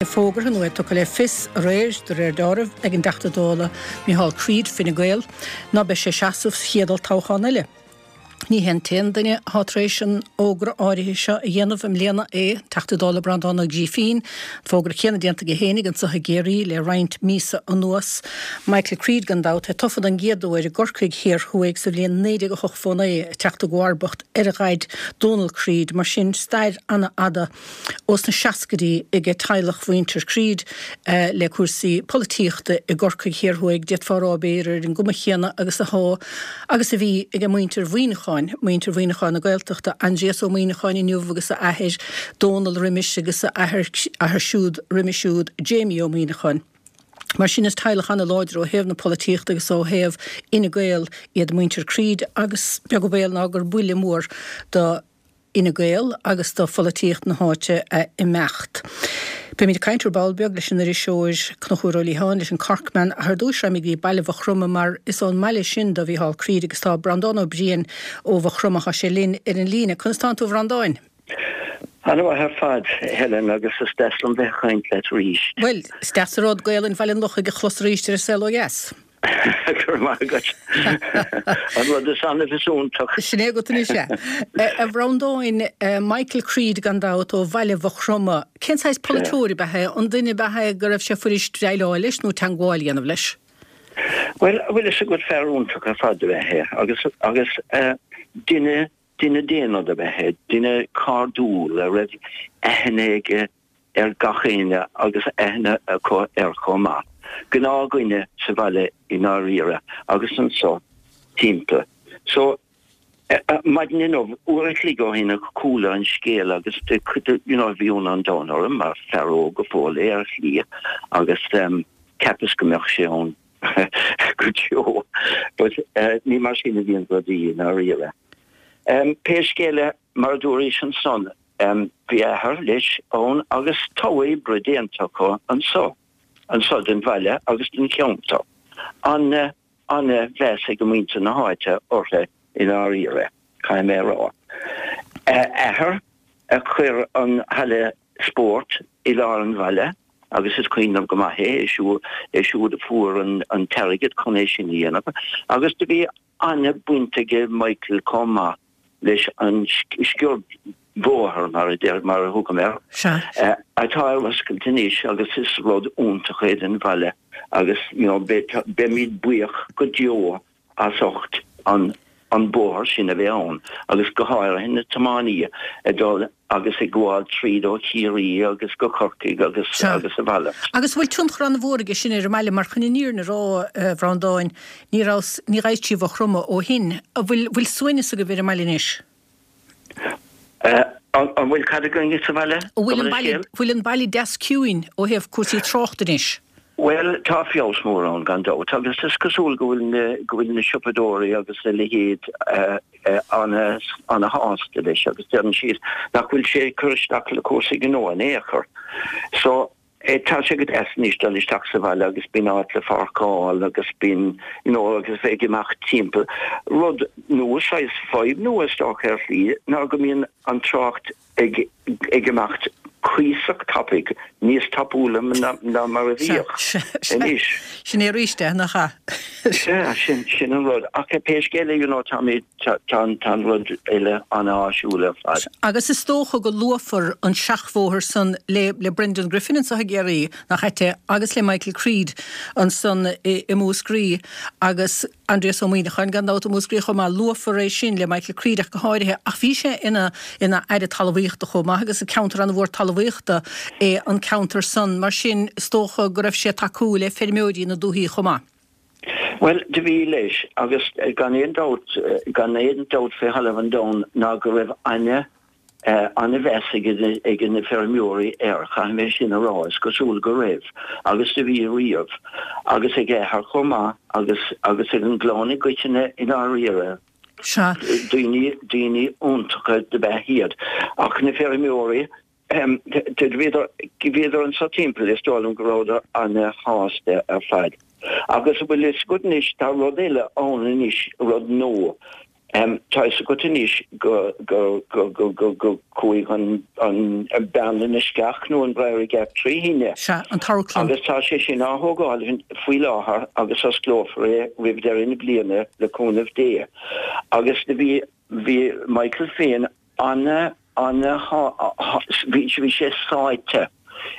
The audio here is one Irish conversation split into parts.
Fógartha nó é tugtha le fios aréir, de réir dealraimh, ag an dTeachta Dála Micheál Creed, Fine Gael, ná beidh sé ag seasamh sa chéad olltoghchán eile. Ní hé an t-aon duine atá tar éis an fhógra áirithe seo a dhéanamh i mbliana é an Teachta Dála Breandán Ó Grífín, an fógra céanna déanta aige fhéinig anso i gCiarraí le roinnt míosa anuas. Michael Creed, gan dabht, é tofa don gcéad uair i gCorcaigh Thiar Thuaidh sa bhliain 1989, ag teacht i gcomharbacht ar a dhaid Dónal Creed. Mar sin, stair an-fhada. Ós na seascaidí aige teaghlach mhuintir Creed le cúrsaí polaitíochta i gCorcaigh Thiar Thuaidh, d'fhéadfá a rá, b'fhéidir, ar an gcuma chéanna agus athá agus a bhí aige muintir Mhuineacháin, muintir Mhuineacháin na Gaeltachta, Aindrias Ó Muineacháin inniu agus a athair Dónal roimis agus a athair athair siúd roimis siúd, Jamie Ó Muineacháin. Mar sin is teaghlach an-láidir ó thaobh na polaitíochta agus ó thaobh Fhine Gael iad muintir Creed agus beag an baol ná gur buille mór do Fhine Gael agus do pholaitíocht na háite a imeacht. Beimid ag caint ar ball beag leis an iriseoir Conchúr Ó Liatháin, leis an Corkman, ach ar dtúis raghaimid go dtí baile Mhaigh Chromtha mar is ón mbaile sin do Mhícheál Creed agus tá Breandán Ó Briain ó Mhaigh Chromtha, tá sé linn ar an líne. Conas tánn tú a Bhreandáin? Ana-mhaith ar fad, a Helen, agus is deas liom bheith ag caint leat arís. Bhuel, is deas an rud Gaolainn Bhaile an Lochaigh a chlos arís ar An Saol Ó Dheas. Go raibh maith agat. An rud is annamh is iontach. Sin é agat anois é. A Bhreandáin, Michael Creed gan dabht ó bhaile Mhaigh Chromtha. Cén saghas polaiteoir ab ea é? An duine ab ea é go raibh sé fuirist déileáil leis nó teangmháil a dhéanamh leis? Bhuel, bhfuil fhios agat fear iontach ar fad ab ea é agus agus duine duine daonna ab ea é, duine cairdiúil a raibh aithne aige ar gach éinne agus aithne acu air chomh maith. Gnáthdhuine sa bhaile i ndáiríre agus anso timpeall. So, maidin inniu, uair a chloig ó shin a chuala an scéal agus you know bhí ionadh an domhain orm mar fear óg go fóill é ar shlí agus cheapas go mbeadh sé ann go deo. But ní mar sin a bhíonn rudaí i ndáiríre. Pé scéal é, mar a dúraís ansan, Bhí a athair leis ann agus togha oibre déanta acu anso, anso den bhaile agus den cheantar. Ana, ana mheas ag muintir na háite orthu i ndáiríre, caithfidh mé a rá. A athair a chuir an halla spóirt i lár an bhaile agus is cuimhin liom go maith é, é siúd a fuair an t-airgead chun é sin a dhéanamh agus do bhí ana baint aige Michael chomh maith leis an sciordbhóthar, mar a deir, mar a thugaim air, atá ar oscailt anois agus is rud iontach é don bhaile agus you know beimid buíoch go deo as ucht an an bóthar sin a bheith ann agus go háirithe na tiománaithe ag dul agus ag gabháil tríd ó Chiarraí agus go Corcaigh agus agus a mhalairt. Agus an bhfuil tionchar an-mhór aige sin ar an mbaile mar chun an fhírinne a rá, a Bhreandáin, ní rabhas, ní ghaibhis trí Mhaigh Chromtha ó shin. An bhfuil, bhfuil suaimhneas agaibh ar an mbaile anois? An bhfuil cad againn sa bhaile? An bhfuil an baile, bhfuil an baile deas ciúin ó thaobh cúrsaí tráchta anois? Bhuel, tá feabhas mór ann gan dabht agus is cosúil go bhfuil na, go bhfuil na siopadóirí agus a leithéid ana-shásta leis agus deireann siad nach bhfuil sé ag cur isteach le cúrsaí gnó in aon chor. So, tá sé go deas anois dul isteach sa bhaile agus bíonn áit le pháirceáil agus bíonn, you know, agus bheith ag imeacht timpeall. Rud nua, saghas fadhb nua is dócha ar shlí ná go mbíonn an trácht ag imeacht cuíosach tapaidh, níos tapúla ná mar a bhíodh anois. Sin é arís é, nach ea? Sea, sin, sin an rud. Ach pé scéal é, you know, táimid, tá, tá an rud uile an-áisiúil ar fad. Agus is dócha go luafar an seachbhóthar san le, le Brendan Griffin anso i gCiarraí, nach ait é, agus le Michael Creed ansan i, i Múscraí agus, Aindrias Ó Muimhneacháin, gan dabht, i Múscraí chomh maith. Luafar é sin le Michael Creed ach go háirithe, ach bhí sé ina ina Aire Talmhaíochta chomh maith agus is ceantar an-mhór talmhaíochta é an ceantar san. Mar sin, is dócha go raibh sé ag tacú le feirmeoirí na dúthaí chomh maith. Bhuel, do bhí leis, agus gan aon dabht, gan aon dabht fé thalamh an domhain ná go raibh aithne An-mheas ag na feirmeoirí air, caithfidh mé sin a rá, is cosúil go raibh, agus do bhí riamh, agus ag a athair chomh maith, agus agus ag an gclann i gcoitinne i ndáiríre. Sea. Daoine, daoine iontacha dob ea iad. Ach na feirmeoirí, bhíodar, bhíodar anso timpeall, is dóigh liom go rabhadar ana-shásta ar fad. Agus an bhfuil fhios agat anois, tá rud eile ann anois, rud nua. Tá fhios agat anois go go go go go go chuaigh an an Bearna na Sceach nó an Briery Gap trí thine. Sea, an t-amharclann. Agus tá sé sin á thógáil faoi láthair agus osclófar é roimh deireadh na bliana le cúnamh Dé. Agus do bhí bhí Michael féin ana ana bhí bhí sé sáite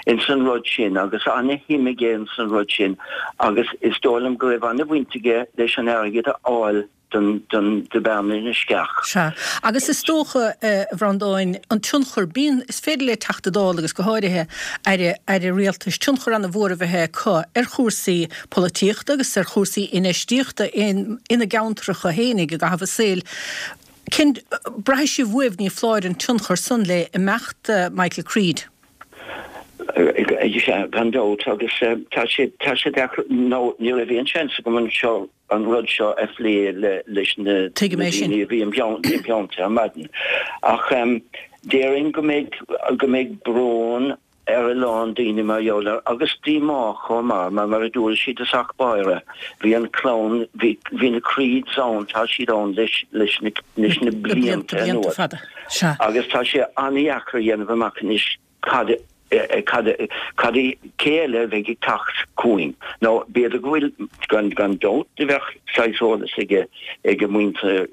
ins an rud sin agus ana shuim aige ins an rud sin agus is dóigh liom go raibh ana bhaint aige leis an airgead a fháil don don do Bhearna na Sceach. Sea. Agus is dócha, a Bhreandáin, an tionchar, bíonn, is féidir le Teachta Dála agus go háirithe Aire, Aire Rialtais, tionchar ana-mhór a bheith acu ar chúrsaí polaitíochta agus ar chúrsaí infheistíochta in, ina gceantracha fhéinig i gcaitheamh a saoil. Cén, braithfidh sibh uaibh, ní foláir, an tionchar san le imeacht Michael Creed? Sea, gan dabht, agus tá sé, tá sé deacair, nó ní raibh aon seans agam anseo an rud seo a phlé leis na Tuigim é sin. daoine a bhí im theannta ar maidin. Ach déarfainn go mbeidh, go mbeidh brón ar a lán daoine mar gheall air, agus díomá chomh maith, mar mar a dúirt sí i dtosach báire, bhí an clann, bhí, bhí na Creeds ann, tá siad ann leis, leis na, leis na Na blianta, blianta blianta anuas. fada. Sea. Agus tá sé an-dheacair a dhéanamh amach anois cad, cad, cad, cé eile a bheidh ag teacht chugainn. Nó b'fhéidir go bhfuil, gan, gan dabht, do bheadh saghas eolas aige, ag muintir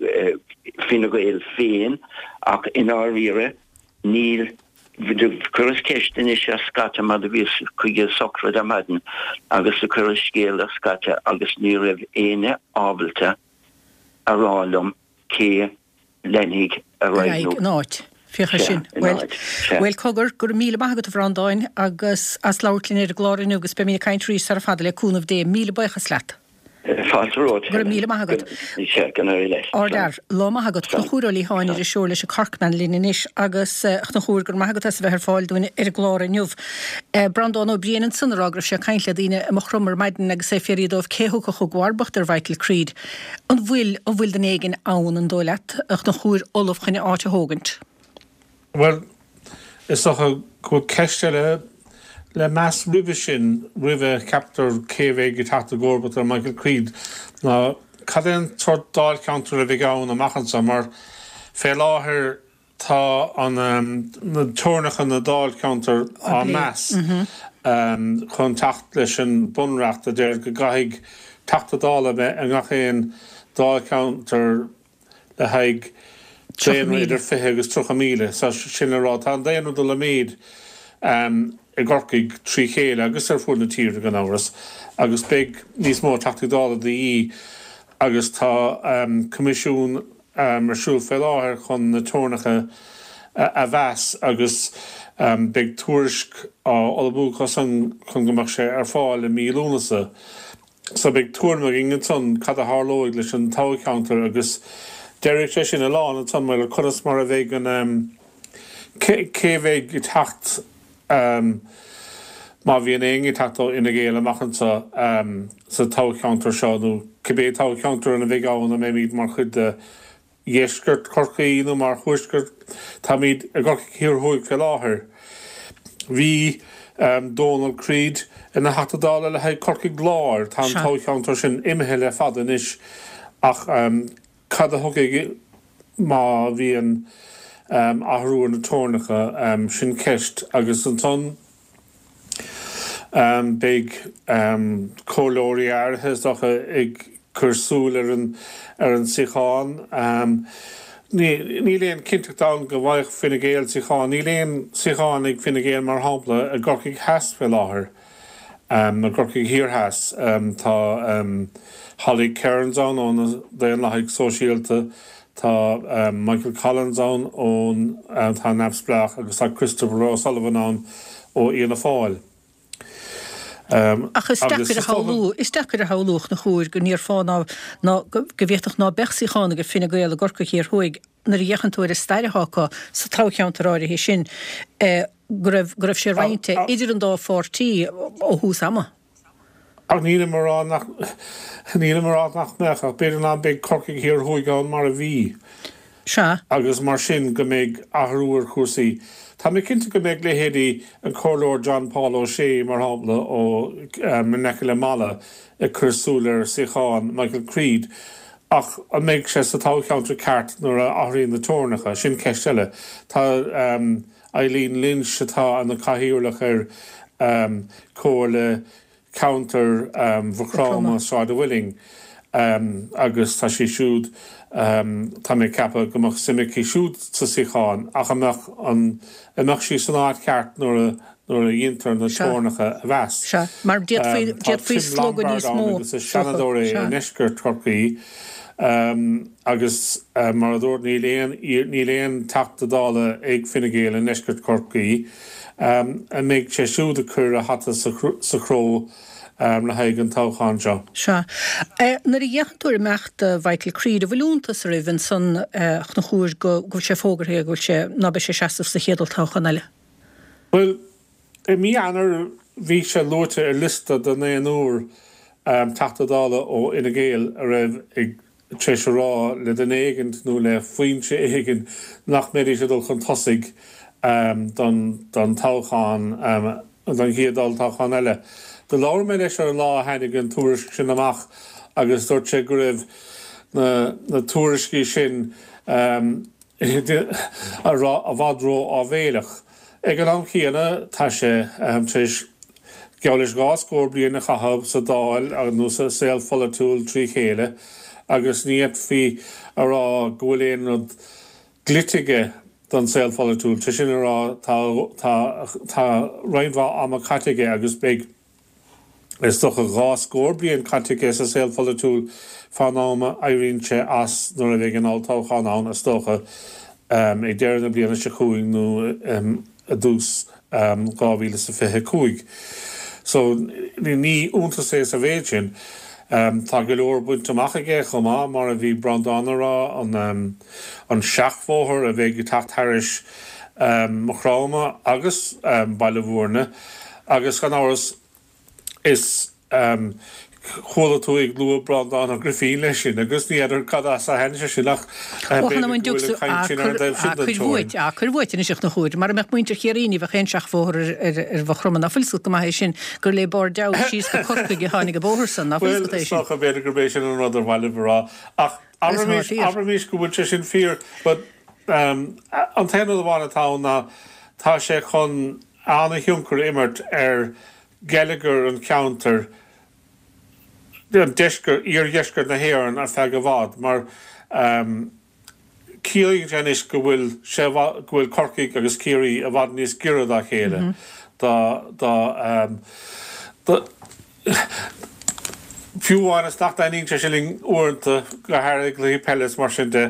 Fine Gael féin, ach i ndáiríre, níl, do chuireas ceist anois ar scata mar do bhíos chuig an sochraid ar maidin agus do chuireas scéal ar scata agus ní raibh éinne ábalta a rá liom cé leanfaidh ar aghaidh nó. Ina áit. Féach air sin. Bhuel, bhuel, cogar, go raibh míle maith agat a Bhreandáin agus as labhairt linn ar an gclár inniu agus beimid ag caint arís sara fada le cúnamh Dé. Míle buíochas leat. Fáilte romhat, Go raibh míle maith agat. Sea, go n-éirí leat. Ardfhear. Lá maith agat. Conchúr Ó Liatháin, iriseoir leis an Corkman linn anois agus, a Chonchúir, go raibh maith agat as a bheith ar fáil dúinn ar an gclár inniu. Breandán Ó Briain ansan ag rá go raibh sé ag caint le daoine i Maigh Chromtha ar maidin agus é ag fiafraí dóibh cé thiocfadh i gcomharbacht ar Mhichael Creed. An bhfuil, an bhfuil duine éigin ann, an dóigh leat, a Chonchúir, ullamh chun a áit a thógaint? Bhuel, is dócha go bhfuil ceist eile le meas roimhe sin, roimh a cheaptar cé a bheidh ag teacht i gcomharbacht ar Michael Creed, ná cad é an sórt dáilcheantar a bheidh ann amach anseo, mar fé láthair tá an, na teorainneacha na dáilcheantar á meas chun teacht leis an Bunreacht a deir go gcaithfidh Teachta Dála a bheith i ngach aon dáilcheantar le haghaidh daonra idir 20 agus 30,000. So sin le rá, tá an daonra ag dul i méid i gCorcaigh trí chéile agus ar fuaid na tíre gan amhras agus beidh níos mó Teachtaí Dála de dhíth agus tá coimisiún ar siúl fé láthair chun na teorainneacha a mheas agus beidh tuairisc á ullmhú acu san chun go mbeadh sé ar fáil i mí Lúnasa. So beidh tuairim againn ansan cad a tharlóidh leis an toghcheantar agus déarfaidh sé sin a lán ansan maidir le conas mar a bheidh an, cé cé bheidh ag teacht má bhíonn éinne ag teacht ó Fhine Gael amach anseo sa toghcheantar seo nó cibé toghcheantar ina bheidh ann an mbeimid mar chuid de dheisceart Chorcaí nó mar thuaisceart. Táimid i gCorcaigh Thiar Thuaidh fé láthair. Bhí Dónal Creed ina Theachta Dála le haghaidh Corcaigh Láir. Tá an toghcheantar sin imithe le fada anois ach cad a thiocfaidh má bhíonn athrú ar na teorainneacha? Sin ceist. Agus ansan. Beidh comhairleoirí áirithe, is dócha, ag cur súil ar an ar an suíochán. Níl aon chinnteacht ann go bhfaigheadh Fine Gael suíochán. Níl aon suíochán ag Fine Gael, mar shampla, i gCorcaigh Theas fé láthair, i gCorcaigh Thiar Theas. Tá Holly Cairns ann ó na Daonlathaigh Sóisialta, Tá Michael Collins ann ón atá neamhspleách agus tá Christopher O'Sullivan ann ó Fhianna Fáil. Ach is deacair a shamhlú, is deacair a shamhlú, a Chonchúir, go ndéarfá ná, ná, go bhféadfadh ná beadh suíochán ag Fine Gael i gCorcaigh Thiar Thuaidh nuair a fhéachann tú ar an stair atá acu sa toghcheantar áirithe sin, go raibh, go raibh sé roinnte idir an dá pháirtí ó thús ama. Ach nílim a rá nach, nílim a rá nach mbeadh, ach b'fhéidir ná beidh Corcaigh Thiar Thuaidh ann mar a bhí. Sea. Agus mar sin go mbeidh athrú ar chúrsaí. Tá mé cinnte go mbeidh leithéidí an Comhairleoir John Paul O'Shea, mar shampla, ó in aice le Mala ag cur súil ar suíochán Michael Creed. Ach an mbeidh sé sa toghcheantar ceart nuair a athraíonn na teorainneacha? Sin ceist eile. Tá Eileen Lynch, atá ina cathaoirleach ar Chomhairle Ceantair Mhaigh Chromtha, Sráid an Mhuilinn, agus tá sí siúd, tá mé ag ceapadh go mbeadh suim aici siúd sa suíochán, ach an mbeadh an mbeadh sí san áit cheart nuair a nuair a dhéantar na teorainneacha a mheas. Sea, mar d'fhéadfaí, Tá d'fhéadfaí Tim slógadh Lombard níos ann mó, agus is is dócha. seanadóir é i Sea. ndeisceart Chorcaí agus mar a dúirt níl aon, níl aon Teachta Dála ag Fine Gael i ndeisceart Chorcaí. An mbeidh sé siúd ag cur a hata sa chró le haghaidh an toghcháin seo? Sea. Nuair a fhéachann tú ar imeacht Mhichael Creed, an bhfuil iontas oraibh ansan, a Chonchúir, go bhfuil sé fógartha go bhfuil sé, ná beidh sé ag seasamh sa chéad olltoghchán eile? Bhuel, i mí Eanáir bhí sé luaite ar liosta de naonúr Teachta Dála ó Fhine Gael a raibh ag tar éis a rá le duine éigint nó le foinse éigin nach mbeidís ag dul chun tosaigh don toghchán, don chéad olltoghchán eile. Do labhair mé leis ar an lá a tháinig an tuairisc sin amach agus dúirt sé go raibh na tuairiscí sin, i bhfad ró-áibhéileach. Ag an am chéanna, tá sé tar éis geall leis 2 scór bliain a chaitheamh sa Dáil nó sa saol pholaitiúil trí chéile agus ní fhéadfaí a rá go bhfuil aon rud dlite aige don saol pholaitiúil. Sé sin a rá, tá tá roinnt mhaith ama caite aige agus beidh Is dócha 2 scór bliain caite aige sa saol pholaitiúil fán am a éiríonn sé as nuair a bheidh an olltoghchán ann, is dócha, ag deireadh na bliana seo chugainn nó i dtús 2025. So, ní iontas é sa mhéid sin. Tá go leor bainte amach aige chomh maith, mar a bhí Breandán a rá, an seachbhóthar a bheidh ag teacht thairis Maigh Chromtha agus Baile Bhúirne. Agus gan amhras, is chuala tú ag lua Breandán Ó Grifín leis sin, agus ní fheadar cad as a tháinig sé sin, ach b'fhéidir go bhfuil an chaint sin ar an dtaobh sin den teorainn. Á, cuir uait anois a Chonchúir. Mara mbeadh muintir Chiarraí ní bheadh aon seachbhóthar ar Mhaigh Chromtha. Ná fuil 's agat go maith é sin, gur le Bord Deabhaidh síos go Corcaigh a tháinig an bóthar san, ná fuil 's agat é sin? Bhuel, is dócha, b'fhéidir gurb é sin an rud ar mhaith libh a rá. Ach abraimis, abraimis go bhfuil sé sin fíor, but an t-aon rud amháin atá ann ná tá sé chun an-thionchar a imirt ar gheilleagar an cheantair, an deisceart, iardheisceart na hÉireann ar feadh i bhfad mar ciallaíonn sé anois go bhfuil sé, go bhfuil Corcaigh agus Ciarraí i bhfad níos giorra dá chéile, dá, dá, dá, fiú amháin is nach dtaitníonn sé sin linn uaireanta, go háirithe i gcluichí peile is mar sin de.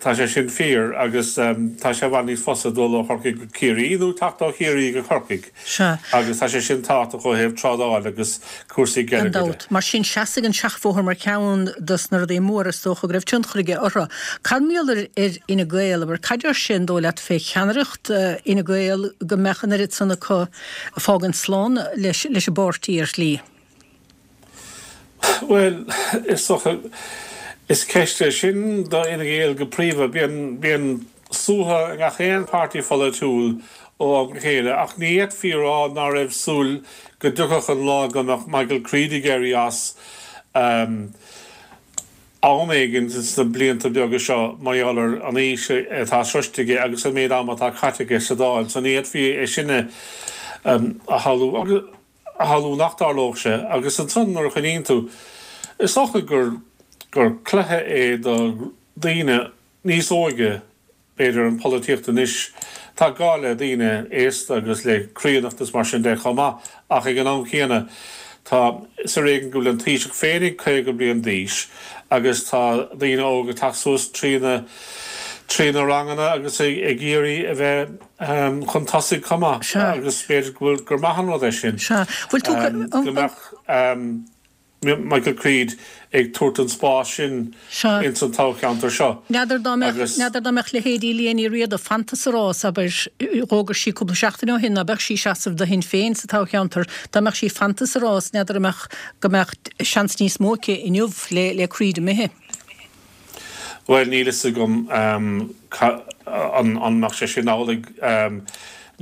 Tá sé sin fíor agus tá sé i bhfad níos fusa dul ó Chorcaigh go Ciarraí nó teacht ó Chiarraí go Corcaigh. Sea. Agus tá sé sin tábhachtach ó thaobh trádáil agus cúrsaí Gan geilleagair de. dabht. Mar sin, seasfaidh an seachbhóthar mar cheann dos na rudaí móra is dócha go raibh tionchar aige orthu. Cad mar gheall ar ar Fhine Gael, abair, cad deir sé an dóigh leat fé cheannaireacht Fhine Gael go mbeadh an oiread san acu ag fágaint slán leis leis an bpáirtí ar shlí? Bhuel, is dócha, is ceist é sin do Fhine Gael go príomha. Bíonn, bíonn suaitheadh i ngach aon pháirtí pholaitiúil ó am go chéile ach ní fhéadfaí a rá ná raibh súil go dtiocfadh an lá go mbeadh Michael Creed ag éirí as am éigin sna blianta beaga seo mar gheall ar an aois atá sroiste aige agus an méid ama atá caite aige sa Dáil. So ní fhéadfaí é sin a shamhlú. a shamhlú nach dtarlódh sé agus ansan nuair a chuimhníonn tú, is dócha gur gur cluiche é do daoine níos óige b'fhéidir an polaitíocht anois. Tá gá le daoine aosta agus le críonnacht is mar sin de chomh maith ach ag an am chéanna tá is ar éigean go bhfuil an Taoiseach féinig 50 bliain d'aois agus tá daoine óga ag teacht suas trí na trí na ranganna agus ag iarraidh a bheith chun tosaigh chomh maith agus b'fhéidir go bhfuil, gur maith an rud é sin go mbeadh Michael Creed ag tabhairt an spás sin ins an toghcheantar seo N'fheadar dá mbeadh, n'fheadar dá mbeadh leithéidí Liadh Ní Riada fanta sa rás, abair, d'fhógair sí cúpla seachtain ó shin ná beadh sí ag seasamh do Shinn Féin sa toghcheantar, dá mbeadh sí fanta sa rás, n'fheadar an mbeadh, go mbeadh seans níos mó aici inniu le, le Creed imithe. Bhuel, níl fhios agam an mbeadh sé sin amhlaidh.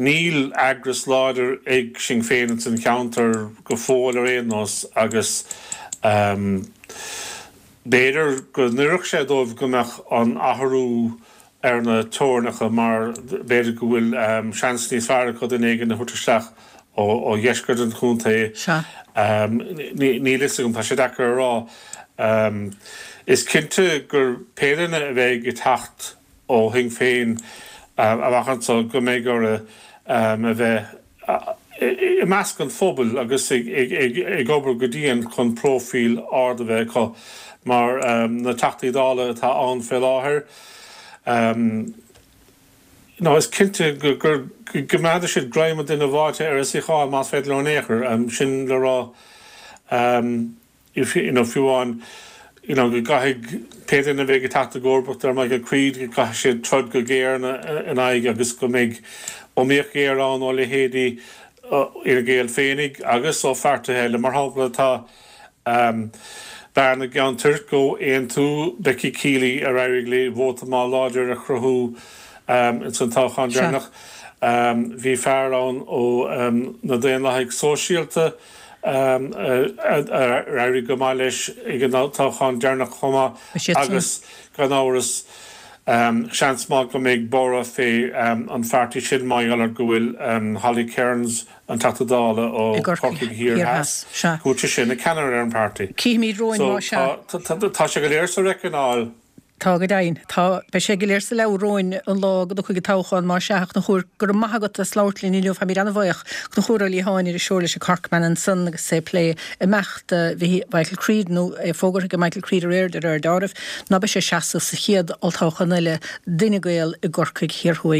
Níl eagras láidir ag Sinn Féin ins an cheantar go fóill ar aon nós agus. B'fhéidir go n-oirfeadh sé dóibh go mbeadh an athrú ar na teorainneacha mar b'fhéidir go bhfuil seans níos fearr acu duine éigin a thabhairt isteach ó dheisceart an chontae. Níl fhios agam, tá sé deacair a rá. Is cinnte gur pé duine a bheidh ag teacht ó Shinn Féin amach anseo go mbeidh orthu a bheith i measc an phobail agus ag obair go dian chun próifíl ard a bheith acu mar na Teachtaí Dála atá ann fé láthair. Nó is cinnte go gcoimeádfaidh siad greim an duine bháite ar a suíochán más féidir leo in aon chor. Sin le rá. you know fiú amháin you know go gcaithfidh pé duine a bheidh ag teacht i gcomharbacht ar Michael Creed go gcaithfidh siad troid go géar ina aghaidh agus go mbeidh iomaíocht ghéar ann ó leithéidí Fhine Gael féinig agus ó pháirtithe eile. Mar shampla tá bean na gCeann Toirc ó Aontú, Becky Keeley ar éirigh léi vóta maith láidir a chruthú ins an toghchán deireanach. Bhí fear ann ó na Daonlathaigh Sóisialta, ar éirigh go maith leis ag an toghchán deireanach chomh maith agus gan amhras seans maith go mbeidh borradh fé an pháirtí sin mar gheall ar go bhfuil Holly Cairns, an Teachta Dála ó Chorcaigh Thiar Theas, go bhfuil sise ina ceannaire ar an bpáirtí. So tá sé go léir sa reicineáil. Tá, go deimhin. Tá. Beidh sé go léir sa leabhar romhainn an lá go dtiocfaidh an toghchán, más ea. A Chonchúir, go raibh maith agat as labhairt linn inniu. Táimid an-bhuíoch. Conchúr Ó Liatháin, iriseoir leis an Corkman ansan agus é ag plé imeacht Mhichael Creed, nó é fógartha ag Michael Creed aréir de réir dealraimh, ná beidh sé ag seasamh sa chéad olltoghchán eile d'Fhine Gael i gCorcaigh Thiar Thuaidh.